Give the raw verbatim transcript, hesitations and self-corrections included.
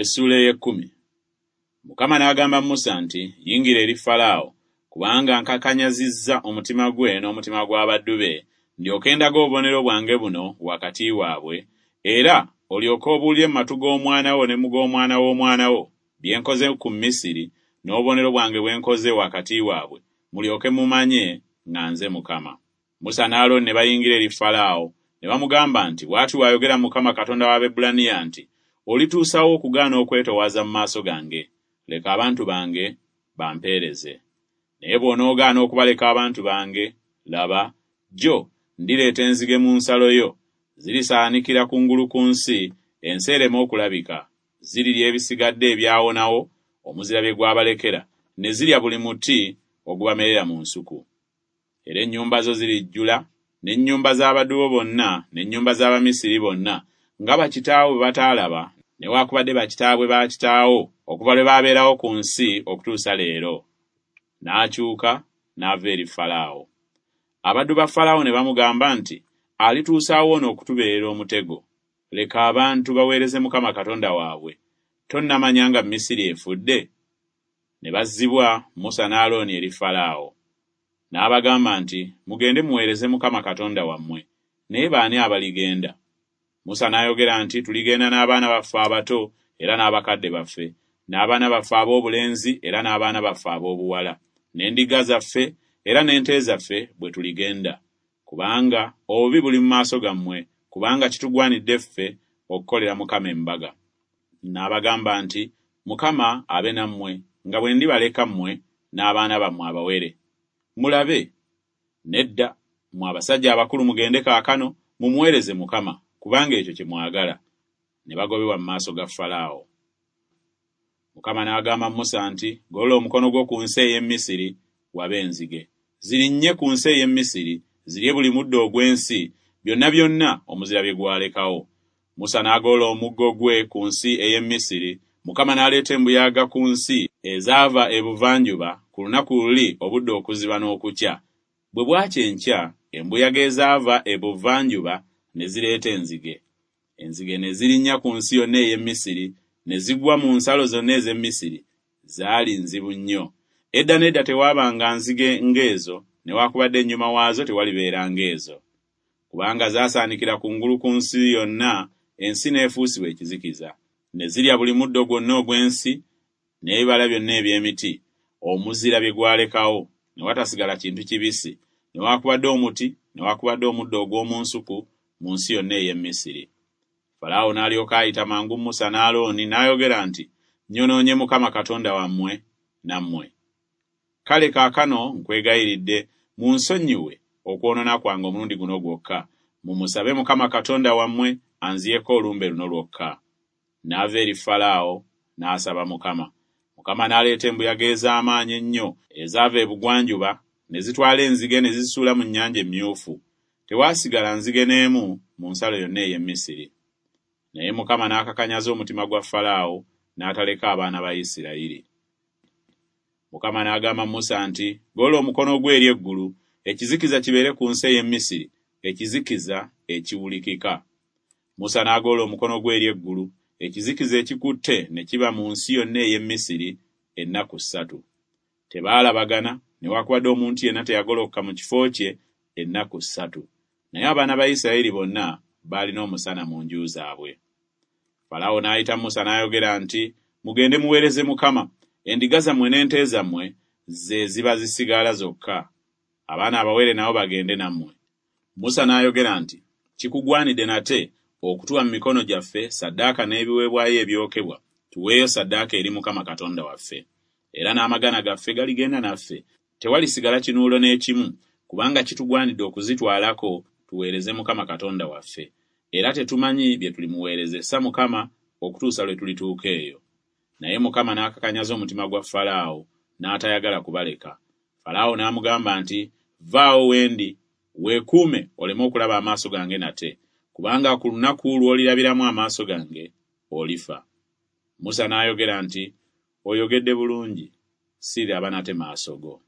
Essuula ey'ekkumi. Mukama n'agamba Musa nti, Yingira eri Falaawo, kubanga nkakanyazizza omutima gwe n'omutima gw'abaddu be, ndyoke ndage obubonero bwange buno wakati waabwe, era olyoke obuulire mu matu g'omwana wo ne mu g'omwana w'omwana wo bye nkoze ku Misiri n'obubonero bwange bwe nkoze wakati waabwe, mulyoke mumanye nga nze Mukama. Musa ne Alooni ne bayingira eri Falaawo, ne bamugamba nti, Bw'ati bw'ayogera Mukama Katonda w'Abaebbulaniya nti, Olituusa wa okugaana okwetoowaza mu maaso gange? Leka abantu bange bampeereze. Naye bw'onoogaana okubaleka abantu bange, laba, jjo ndireeta enzige mu nsalo yo, zirisaanikira kungulu ku nsi, ensi ereme okulabika. Zirirya ebisigadde ebyawonawo omuzira bye gwabalekera, ne zirya buli muti ogubamerera mu nsuku. Era ennyumba zo zirijjula, n'ennyumba z'abaddu bo bonna, n'ennyumba z'Abamisiri bonna, nga bakitaawo bwe bataalaba, newaakubadde bakitaabwe ba kitaawo, okuva lwe baabeerawo ku nsi okutuusa leero. N'akyuka n'ava eri Falaawo. Abaddu ba Falaawo ne bamugamba nti, Alituusa wa ono okutubeerera omutego? Leka abantu baweereze Mukama Katonda waabwe. Tonnamanya nga Misiri efudde? Ne bazzibwa Musa ne Alooni eri Falaawo. N'abagamba nti, Mugende muweereze Mukama Katonda wammwe. Naye baani abaligenda? Musa n'ayogera nti, Tuligenda n'abaana baffe abato era n'abakadde baffe, n'abaana baffe ab'obulenzi era n'abaana baffe ab'obuwala, n'endiga zaffe era n'ente zaffe bwe tuligenda. Kubanga obubi buli mu maaso gammwe, kubanga kitugwanidde ffe okukolera Mukama embaga. N'abagamba nti, Mukama abe nammwe, nga bwe ndibaleka mmwe n'abaana bammwe abawere. Mulabe, nedda, mmwe abasajja abakulu mugende kaakano, mumuweereze Mukama, kubanga ekyo kye mwagala. Ne bagobebwa mu maaso ga Falaawo. Mukama n'agamba Musa nti, Golola omukono gwo ku nsi ey'e Misiri, wabe enzige. Zirinnye ku nsi ey'e Misiri, zirye buli muddo ogw'ensi, byonna byonna omuzira bye gwalekawo. Musa n'agolola omuggo gwe ku nsi ey'e Misiri, Mukama n'aleeta embuyaga ku nsi ezaava ebuvanjuba ku lunaku luli obudde okuziba n'okukya. Bwe bwakya enkya, embuyaga ezaava ebuvanjuba ne zireeta enzige. Enzige ne zirinnya ku nsi yonna ey'e Misiri, ne zigwa mu nsalo zonna ez'e Misiri. Zaali nzibu nnyo. Edda n'edda tewaabanga nzige ng'ezo, newaakubadde ennyuma waazo tewalibeera ng'ezo. Kubanga zaasaanikira kungulu ku nsi yonna, ensi n'efuusibwa ekizikiza. Ne zirya buli muddo gwonna ogw'ensi, n'ebibala byonna eby'emiti, omuzira bye gwalekawo, ne watasigala kintu kibisi, newaakubadde omuti, newaakubadde omuddo ogw'omu nsuku, mu nsi yonna ey'e Misiri. Falaawo n'alyoka ayita mangu Musa ne Alooni, n'ayogera nti, Nnyonoonye Mukama Katonda wammwe nammwe. Kale kaakano nkwegayiridde, munsonyiwe okwonoona kwange omulundi guno gwokka, mumusabe Mukama Katonda wammwe anziyeko olumbe luno lwokka. N'ava eri Falaawo, n'asaba Mukama. Mukama n'aleeta embuyaga ez'amaanyi ennyo ezaava ebugwanjuba, ne zitwala enzige ne zizisuula mu Nnyanja Emmyufu. Tewaasigala nzige n'emu mu nsalo yonna ey'e Misiri. Naye Mukama n'akakanyaza omutima gwa Falaawo, n'ataleka abaana ba Isirayiri. Mukama n'agamba Musa nti, Golola omukono gwo eri eggulu, ekizikiza kibeere ku nsi ey'e Misiri, ekizikiza ekiwulikika. Musa n'agolola omukono gwe eri eggulu, ekizikiza ekikutte ne kiba mu nsi yonna ey'e Misiri ennaku ssatu. Tebaalabagana, newaakubadde omuntu yenna teyagolokoka mu kifo kye ennaku ssatu. Naye abaana ba Isirayiri bonna baalina omusana mu nju zaabwe. Falaawo n'ayita Musa n'ayogera nti, Mugende muweereze Mukama. Endiga zammwe n'ente zammwe ze ziba zisigala zokka. Abaana abawere nabo bagende nammwe. Musa n'ayogera nti, Kikugwanidde nate okutuwa mu mikono gyaffe ssaddaaka n'ebiweebwayo ebyokebwa, tuweeyo ssaddaaka eri Mukama Katonda waffe. Era n'amagana gaffe galigenda naffe, tewalisigala kinuulo n'ekimu, kubanga kitugwanidde okuzitwalako tuweereze Mukama Katonda waffe. Era tetumanyi bye tulimuweerezesa Mukama okutuusa lwe tulituuka eyo. Naye Mukama n'akakanyaza omutima gwa Falaawo, n'atayagala kubaleka. Falaawo n'amugamba nti, Vvaawo we ndi, weekuume oleme okulaba amaaso gange nate, kubanga ku lunaku lw'olirabiramu amaaso gange, olifa. Musa n'ayogera nti, Oyogedde bulungi, siriraba nate maaso go.